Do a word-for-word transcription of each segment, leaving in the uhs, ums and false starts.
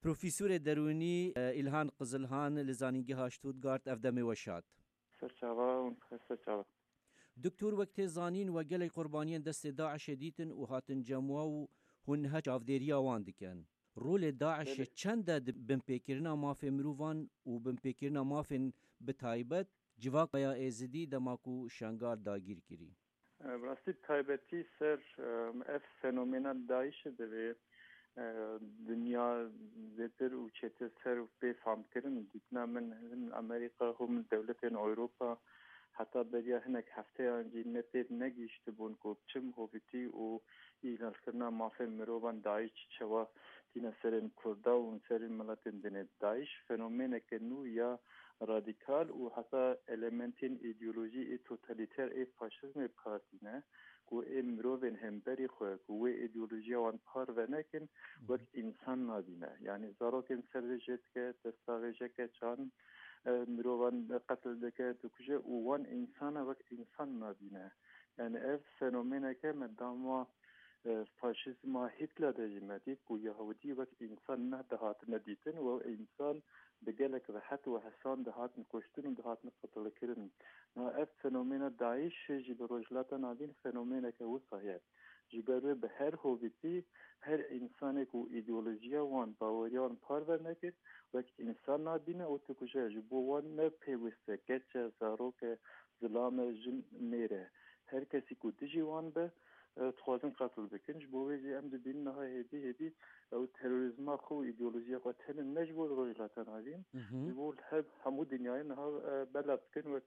Profesorê derûnî, e, Îlhan Qizilhan li Zanîngeha Stuttgart, ev demê we şad. Ser çava û ser çava. Doktor, wek tê zanîn, we gelek qurbaniyên destê DAIŞê dîtin û hatin cem we û hûn niha çavdêriya wan dikin. Rolê DAIŞê Belê. çend e di binpêkirina mafê mirovan û binpêkirina mafên bi taybet civaka ya Êzidî dema ku Şengal dagîr kirî? E, bi rastî bi taybetî ser, e, ev fenomena DAIŞê divê, e, dinya zêtir û çêtir ser bê famkirin. Dîtina min, hin Amerîka, hûn dewletên Ewropa, heta beriya hinek hefteyan jî ne têr negihîştibûn ku bi çi mihovîtî û îhlalkirina mafên mirovan DAIŞ çawa tîne serên Kurda û serên miletên dinê. DAIŞ fenomeneke nû ya radîkal û heta elementên îdeolojî ê totalîter ê faşîzmê bi kar tîne, ku ê mirovên hemberî xwe ku wê îdeolojiya wan parve nekin, wek însan nabîne. Yanî zarokên ser vê jê dike, destaxêjeke çan, e, mirovan qetil dike, dikuje û wan însana wek însan nabîne. Yanî ev fenomeneke me dema, e, faşîzma Hitler de jî me dît ku Yahudî wek însan nedihatine dîtin û ew însan bi gelek rehet û hesan dihatin kuştin û dihatin qetilkirin. Niha ev fenomena DAIŞê jî li Rojhilata Navîn fenomeneke wisa ye. Ji ber wê bi her hovîtî her însanê ku îdeolojiya wan, baweriya wan parve nekir, wek însan nabîne û dikuje. Ji bo wan ne pêwist e, keç e, zarok e, zilam e, jin, mêr e. Her kesî ku dijî wan be, e, dixwazin qetil bikin. Ji bo wê jî em dibînin niha hêdî hêdî ew terorîzma xwe û îdeolojiya xwe tenê ne ji bo Rojhilata Navîn, Hı hı. ji bo li her hemû dinyayê niha, e, belav dikin wek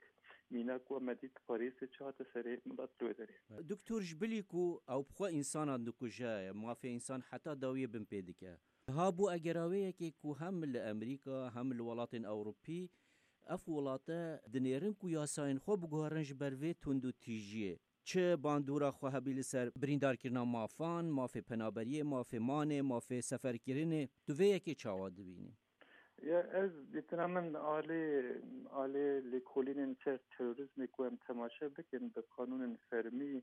mînak ku me dît Parîsê çi hate serê milet li wê derê. Doktor, ji bilî ku ew bi xwe însanan dikuje, mafê însan heta dawiyê binpê dike. Niha bû egeraweyekê ku hem li Amerîka hem li welatên Ewropî ev welate dinêrin ku yasayên xwe biguherin ji ber vê tundûtîjiyê. Çi bandora xwe hebî li ser birîndarkirina mafan, mafê penaberiyê, mafê manê, mafê seferkirinê, tu vê yekê çawa dibînî? Ya ez dîtina min alê, alê lêkolînên ser terorîzmê ku em temaşe bikin, bi qanûnên fermî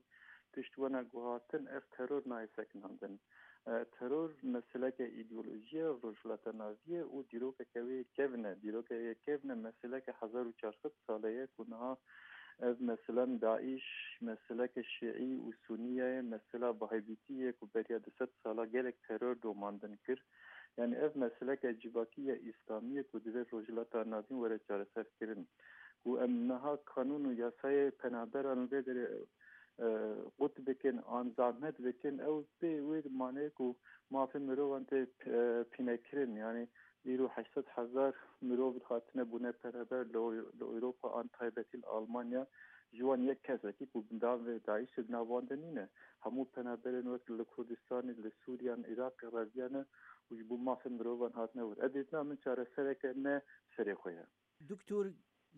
tişt wena guhartin, ev teror nayê sekinandin. E, teror meseleke îdeolojî ye, Rojhilata Navî ye û dîrokeke wê kevn e. Dîrokeke kevn e, meseleke hezar û çar sed sale ye ku niha ev meselen DAIŞ, meseleke şîî û sunî ye, mesela Wehhabîtî ye ku beriya du sed sala gelek teror domandin kir. Yanî ev meseleke civakî ya Îslamî ye ku divê Rojhilata Navîn were çareserkirin. Ku em niha kanûn û yasayê penaberan vê derê, e, qut bikin, an zahmet bikin, ew pê wê manê ku mafê mirovan tê, e, pînekirin. Yanî îro heşt sed hezar mirov hatine bûne penaber li Ew-, li Ewropa, an taybetî li Almanya. Ji wan yek kesekî ku bi nav DAIŞê di nav wan de nîne. Hemû penaberên wek li Kurdistanê, li Sûriyan, Iraqê reviyane û ji bo mafên mirovan hatine wir. Ev dîtina min çaresereke ne serê xwe ye. Doktor,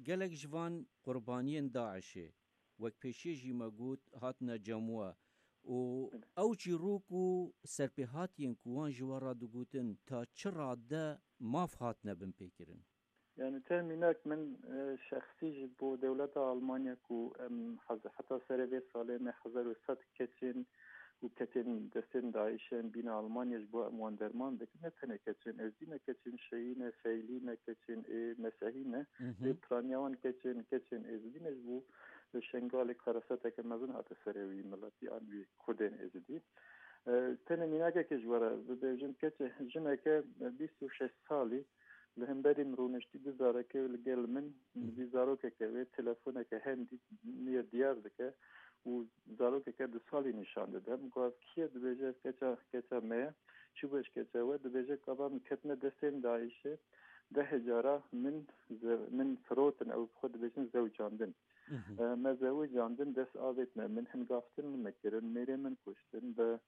gelek ji van qurbaniyên DAIŞê, wek pêşiyê jî me got, hatine cem we û ew çîrok û serpêhatiyên ku wan ji we re digotin, ta çi rade maf hatine binpêkirin? Yani te mînak min, e, şexsî ji bo dewleta Almanya ku em hez-, heta serê vê salê me hezar û sed keçên û ketên destên DAIŞ'ê em bîne Almanya ji bo em wan derman bikin. Ne tenê keçên Êzdî ne, keçên Şîî ne, Feylî ne, keçên ê Mesehî ne. Hı hı. Ê piraniya wan keçên, keçên Êzdî ne ji bo Şengalê karaseteke mezin hate serê wî miletî an wî Kurdên Êzidî. E, tenê mînakekê ji we re bibêjim, keçe jineke bîst û şeş salî li hemberî min rûniştî, du zarokê li gel min, Hı. vî zarokeke wê telefoneke hendî niye diyar dike û zarokeke du salî nîşan dide. Min got, "Ev kî ye?" Dibêje, "Keça, keça me ye." "Çi bû ji keça we?" Dibêje, "Gava min ketine destên DAIŞ'ê, dehê cara min ze-, min firotin, ew bi xwe dibêjin zewicandin." Mhm. E, me zewicandin, dest avêtine min, hingavtin li me kirin, mêrê min kuştin, bi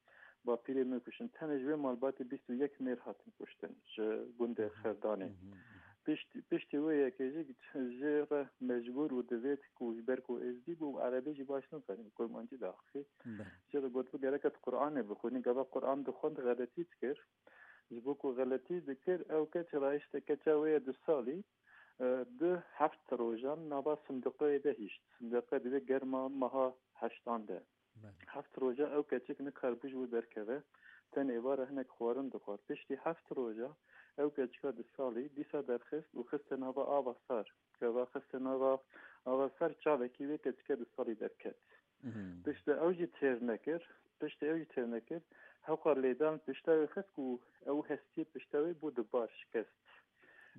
bapîrê min kuştin. Tenê ji wê malbatê bîst û yek mêr hatin kuştin ji gundê Mhm. Xerdanê. Mhm. Pişt-, piştî wê yekê jî jê re mecbûr û divêt ku ji ber ku êzdî bû û erebî jî baş nizanî, kurmancî diaxivî. Bele. Jê re gotibû gerek e tu Qur'anê bixwînî, gava Qur'an dixwend xeletî dikir. Ji bo ku xeletî dikir, ew keç rayişte, keça wê ye du salî, e, di heft rojan nava sindiqeyê de hişt. Sindiqe divê germa meha heştan de. Bele. Heft roja ew keçik nikaribû ji wir derkeve, tenê êvar e hinek xwarin dixwar. Piştî heft roja Ew keçika du salî dîsa derxist û xiste nava ava sar. Gava xiste nava ava sar, çavekî wê keçike du salî derket. Mhm. Piştre ew jî têr nekir. Piştre ew jî têr nekir. Hewqa lêdan pişta wê xist ku ew hestiyê pişta wê bû dibar, şikest.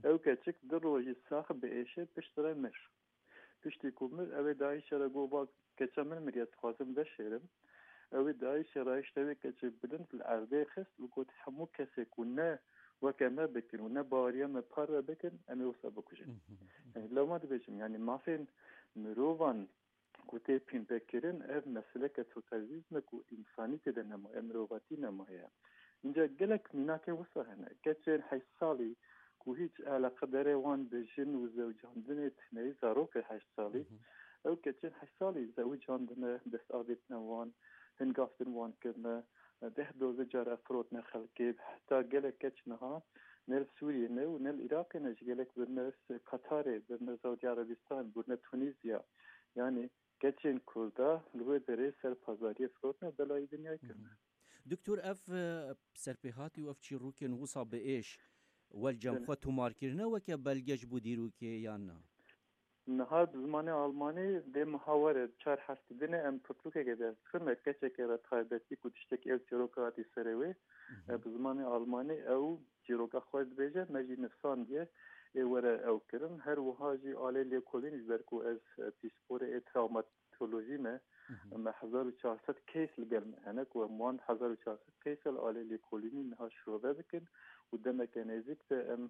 Ew keçik du rojî sax bi êşê piştre mir. Piştî ku mir, ew ê dayîşe re got, "Bak, keça min miriye, dixwazim veşêrim." Ew ê dayîşe re hişte wê keçê bilind li erdê xist û got, "Hemû kesê ku ne weke me bikin û ne baweriya me parve bikin, em ê wisa bikujin." Mhm. Yani, lewma dibêjim, yani, mafên mirovan ku tê pînpekirin, ev meseleke totalîtîzm e ku însanî tê de nemaye, mirovatî nemaye. Înca gelek mînakên wisa hene. Keçên heşt salî ku hîç eleqedarê wan bi jin û zewicandinê tune ye, zarokê heşt salî, Mhm. ew keçên heşt salî zewicandine, dest avêtine wan, hin gav din wan kirine, deh doze cara firotine xelkê, heta gelek keç niha ne li Sûriyê ne û ne li Iraqê ne, ji gelek birine Qatarê, birine Saudî Erebistan, birine Tunîzya. Yani keçên Kurda li wê derê ser pazariyê firotine, belayî dinyayê kirine. Mhm. Doktor, ev, e, serpêhatî û ev çîrokên wisa bi êş wel cem Belê. xwe tomar kirine weke belge ji bo dîrokê yan na? Niha bi zimanê almanî dê mihawere çar heftê dinê em pirtûkeke derdixin, me keçeke re taybetî ku tiştekî ew çîroka hatî serê wê, Mhm. e, bi zimanê almanî ew çîroka xwe dibêje, me jî nivîsandiye, ê were ew kirin. Her wiha jî alê lêkolîn, ji ber ku ez, e, pîsporê ê trawmatolojî me, Mhm. me hezar û çar sed case li gel me hene, ku em wan hezar û çar sed case li alê lêkolînî niha şirove bikin û demeke nêzîk de em,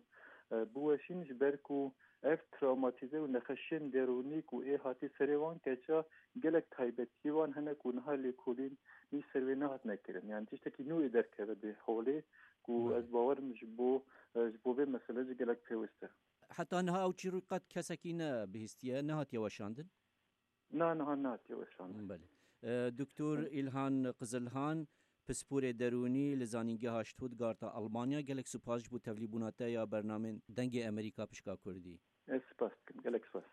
e, biweşîn, ji ber ku ev trawmatîze û nexweşiyên derûnî ku ê hatî serê wan keça, gelek taybetiyê wan hene ku niha lêkolîn nî ser wê nehatine kirin. Yani tiştekî nû ê derkeve di holê ku Belê. ez bawerim ji bo, e, ji bo vê mesele jî gelek pêwist e. Heta niha ew çîrok qet kesekî ne bihîstiye, nehatiye weşandin? Na, niha nehatiye weşandin. Belê. E, Doktor Îlhan Qizilhan, pisporê derûnî li Zanîngeha Stuttgarta Almanya, gelek spas ji bo tevlîbûna te ya bernamên Dengê Amerîka pişka Kurdî. Ez spas dikim. Gelek spas.